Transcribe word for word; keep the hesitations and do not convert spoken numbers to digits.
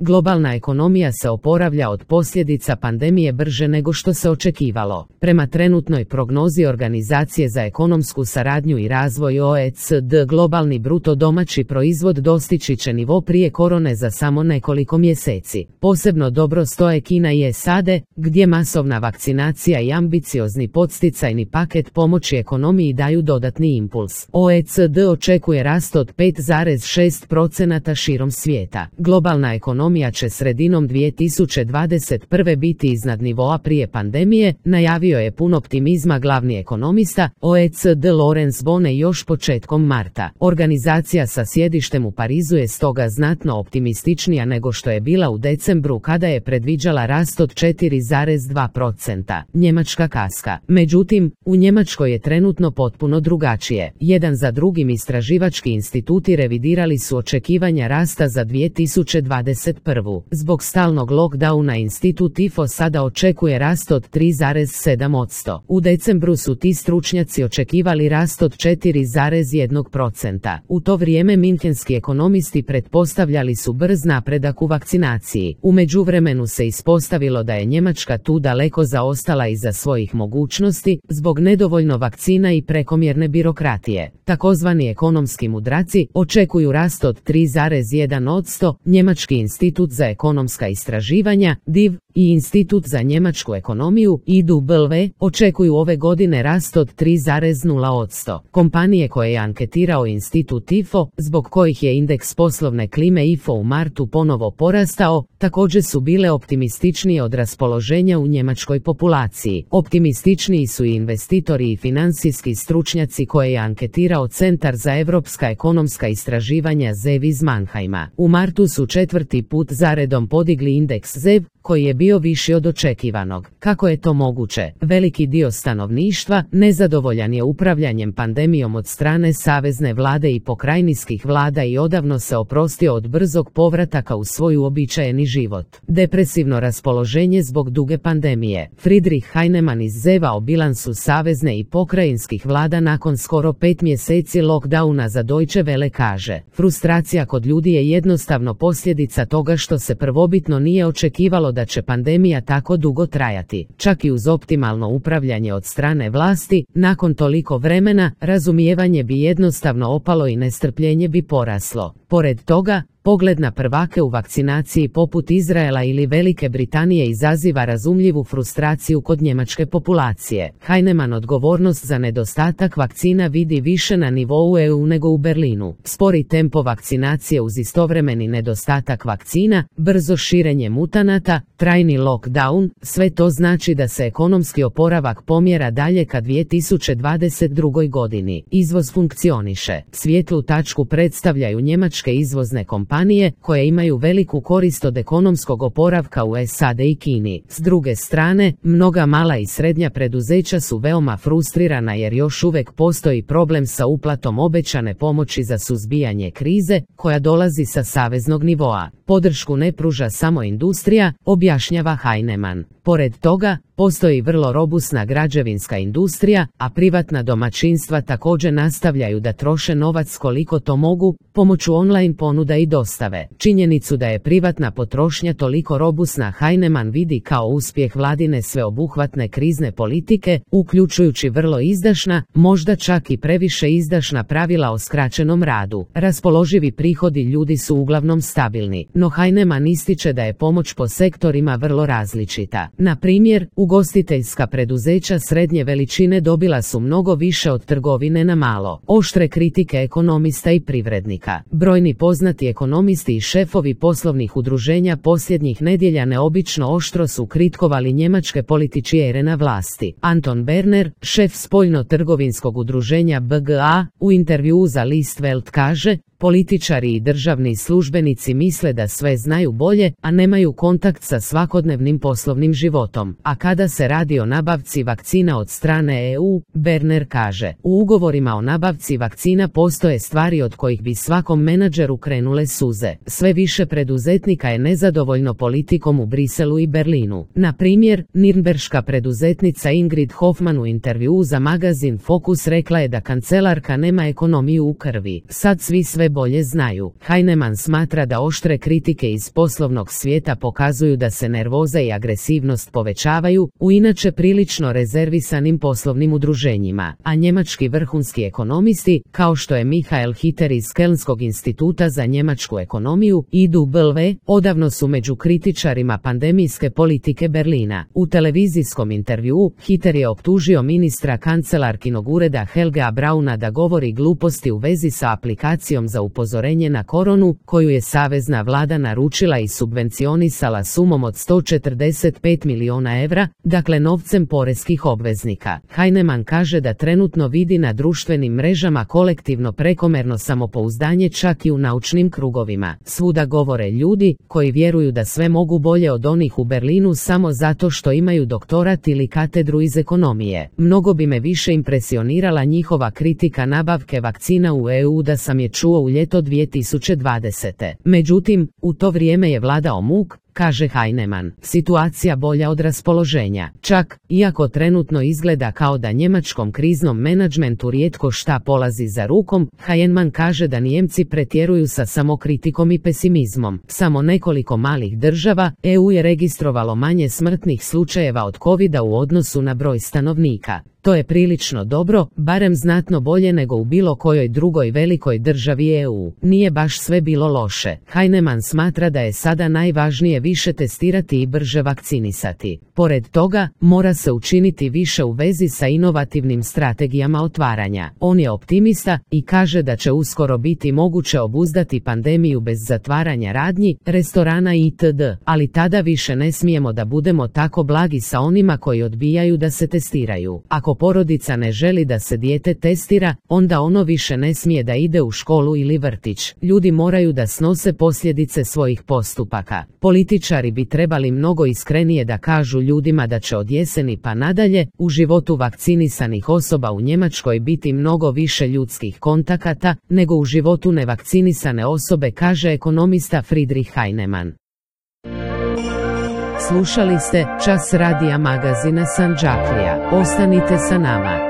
globalna ekonomija se oporavlja od posljedica pandemije brže nego što se očekivalo. Prema trenutnoj prognozi Organizacije za ekonomsku saradnju i razvoj O E C D, globalni bruto domaći proizvod dostići će nivo prije korone za samo nekoliko mjeseci. Posebno dobro stoje Kina i S A D, gdje masovna vakcinacija i ambiciozni podsticajni paket pomoći ekonomiji daju dodatni impuls. O E C D očekuje rast od pet zarez šest posto širom svijeta. Globalna ekonomija će sredinom dvije tisuće dvadeset prve biti iznad nivoa prije pandemije, najavio je pun optimizma glavni ekonomista O E C D Lorenz Bone još početkom marta. Organizacija sa sjedištem u Parizu je stoga znatno optimističnija nego što je bila u decembru kada je predviđala rast od četiri zarez dva posto. Njemačka kaska. Međutim, u Njemačkoj je trenutno potpuno drugačije. Jedan za drugim istraživački instituti revidirali su očekivanja rasta za dvije tisuće dvadeset prvu. Zbog stalnog lockdowna institut I F O sada očekuje rast od tri zarez sedam posto. U decembru su ti stručnjaci očekivali rast od četiri zarez jedan posto. U to vrijeme minhenski ekonomisti pretpostavljali su brz napredak u vakcinaciji. U međuvremenu se ispostavilo da je Njemačka tu daleko zaostala iza svojih mogućnosti zbog nedovoljno vakcina i prekomjerne birokratije. Takozvani ekonomski mudraci očekuju rast od tri zarez jedan posto. Njemački institut za ekonomska istraživanja D I V i Institut za njemačku ekonomiju I D U B L V očekuju ove godine rast od tri zarez nula posto. Kompanije koje je anketirao institut I F O, zbog kojih je indeks poslovne klime I F O u martu ponovo porastao, također su bile optimističnije od raspoloženja u njemačkoj populaciji. Optimističniji su i investitori i financijski stručnjaci koje je anketirao Centar za europska ekonomska istraživanja Z E V iz Mannheima. U martu su četvrti put zaredom podigli indeks Z E V, koji je bio viši od očekivanog. Kako je to moguće? Veliki dio stanovništva nezadovoljan je upravljanjem pandemijom od strane savezne vlade i pokrajinskih vlada i odavno se oprostio od brzog povrataka u svoj uobičajeni život. Depresivno raspoloženje zbog duge pandemije. Friedrich Heinemann iz Z E V-a o bilansu savezne i pokrajinskih vlada nakon skoro pet mjeseci lockdowna za Deutsche Welle kaže: frustracija kod ljudi je jednostavno posljedica toga što se prvobitno nije očekivalo da će pandemija tako dugo trajati. Čak i uz optimalno upravljanje od strane vlasti, nakon toliko vremena, razumijevanje bi jednostavno opalo i nestrpljenje bi poraslo. Pored toga, pogled na prvake u vakcinaciji poput Izraela ili Velike Britanije izaziva razumljivu frustraciju kod njemačke populacije. Heinemann odgovornost za nedostatak vakcina vidi više na nivou E U nego u Berlinu. Spori tempo vakcinacije uz istovremeni nedostatak vakcina, brzo širenje mutanata, trajni lockdown, sve to znači da se ekonomski oporavak pomjera dalje ka dvije tisuće dvadeset drugoj godini. Izvoz funkcioniše. Svijetlu tačku predstavljaju njemačke izvozne kompanije koje imaju veliku korist od ekonomskog oporavka u S A D i Kini. S druge strane, mnoga mala i srednja preduzeća su veoma frustrirana jer još uvijek postoji problem sa uplatom obećane pomoći za suzbijanje krize, koja dolazi sa saveznog nivoa. Podršku ne pruža samo industrija, objašnjava Heinemann. Pored toga, postoji vrlo robusna građevinska industrija, a privatna domaćinstva također nastavljaju da troše novac koliko to mogu, pomoću online ponuda i dostave. Činjenicu da je privatna potrošnja toliko robusna Heinemann vidi kao uspjeh vladine sveobuhvatne krizne politike, uključujući vrlo izdašna, možda čak i previše izdašna pravila o skraćenom radu. Raspoloživi prihodi ljudi su uglavnom stabilni, no Heinemann ističe da je pomoć po sektorima vrlo različita. Na primjer, ugostiteljska preduzeća srednje veličine dobila su mnogo više od trgovine na malo. Oštre kritike ekonomista i privrednika. Brojni poznati ekonomisti i šefovi poslovnih udruženja posljednjih nedjelja neobično oštro su kritikovali njemačke političare na vlasti. Anton Berner, šef spoljno-trgovinskog udruženja B G A, u intervjuu za List Welt kaže: političari i državni službenici misle da sve znaju bolje, a nemaju kontakt sa svakodnevnim poslovnim životom. A kada se radi o nabavci vakcina od strane E U, Berner kaže: u ugovorima o nabavci vakcina postoje stvari od kojih bi svakom menadžeru krenule suze. Sve više preduzetnika je nezadovoljno politikom u Briselu i Berlinu. Na primjer, nirnberška preduzetnica Ingrid Hoffmann u intervjuu za magazin Focus rekla je da kancelarka nema ekonomiju u krvi. Sad svi sve sve bolje znaju. Heinemann smatra da oštre kritike iz poslovnog svijeta pokazuju da se nervoza i agresivnost povećavaju u inače prilično rezervisanim poslovnim udruženjima, a njemački vrhunski ekonomisti, kao što je Michael Hitter iz Kelnskog instituta za njemačku ekonomiju, I W, odavno su među kritičarima pandemijske politike Berlina. U televizijskom intervjuu Hitter je optužio ministra kancelarkinog ureda Helgea Brauna da govori gluposti u vezi sa aplikacijom za upozorenje na koronu, koju je savezna vlada naručila i subvencionisala sumom od sto četrdeset pet milijuna evra, dakle novcem poreskih obveznika. Heinemann kaže da trenutno vidi na društvenim mrežama kolektivno prekomerno samopouzdanje čak i u naučnim krugovima. Svuda govore ljudi koji vjeruju da sve mogu bolje od onih u Berlinu samo zato što imaju doktorat ili katedru iz ekonomije. Mnogo bi me više impresionirala njihova kritika nabavke vakcina u E U da sam je čuo u ljeto dvije tisuće dvadesete. Međutim, u to vrijeme je vladao muk, kaže Heinemann. Situacija bolja od raspoloženja. Čak, iako trenutno izgleda kao da njemačkom kriznom menadžmentu rijetko šta polazi za rukom, Heinemann kaže da Nijemci pretjeruju sa samokritikom i pesimizmom. Samo nekoliko malih država, E U je registrovalo manje smrtnih slučajeva od covida u odnosu na broj stanovnika. To je prilično dobro, barem znatno bolje nego u bilo kojoj drugoj velikoj državi E U. Nije baš sve bilo loše. Heinemann smatra da je sada najvažnije više testirati i brže vakcinisati. Pored toga, mora se učiniti više u vezi sa inovativnim strategijama otvaranja. On je optimista i kaže da će uskoro biti moguće obuzdati pandemiju bez zatvaranja radnji, restorana itd. Ali tada više ne smijemo da budemo tako blagi sa onima koji odbijaju da se testiraju. Ako porodica ne želi da se dijete testira, onda ono više ne smije da ide u školu ili vrtić. Ljudi moraju da snose posljedice svojih postupaka. Političari bi trebali mnogo iskrenije da kažu ljudima da će od jeseni pa nadalje u životu vakcinisanih osoba u Njemačkoj biti mnogo više ljudskih kontakata nego u životu nevakcinisane osobe, kaže ekonomista Friedrich Heinemann. Slušali ste Čas radija magazina Sandžaklija. Ostanite sa nama.